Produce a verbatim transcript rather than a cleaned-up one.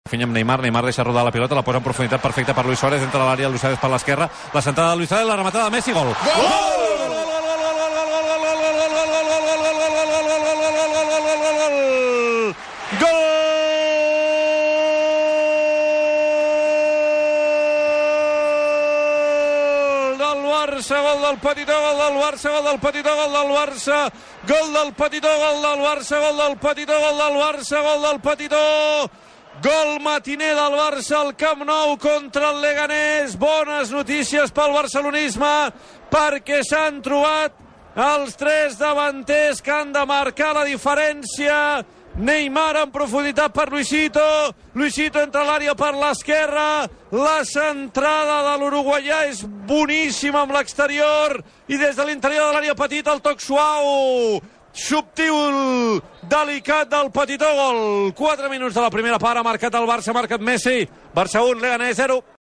Finya amb Neymar, Neymar deixa rodar la pilota, la posa en profunditat perfecta per Luis Suárez, entra a l'àrea, Luis Suárez per l'esquerra, la centrada de Luis Suárez, la rematada de Messi, gol! Gol! Barça, gol del Petitó, gol del Barça, gol del Petitó, gol del Barça, gol del Petitó, gol del Barça, gol del Petitó, gol del Barça, gol del Petitó, gol matiner del Barça al Camp Nou contra el Leganés. Bones notícies pel barcelonisme perquè s'han trobat els tres davanters que han de marcar la diferència. Neymar en profunditat per Luisito, Luisito entra a l'àrea per l'esquerra, la centrada de l'uruguaià és boníssima amb l'exterior i des de l'interior de l'àrea petita el toc suau, subtil, delicat del Petitó, gol. quatre minuts de la primera part, ha marcat el Barça, ha marcat Messi, Barça un, Leganés zero.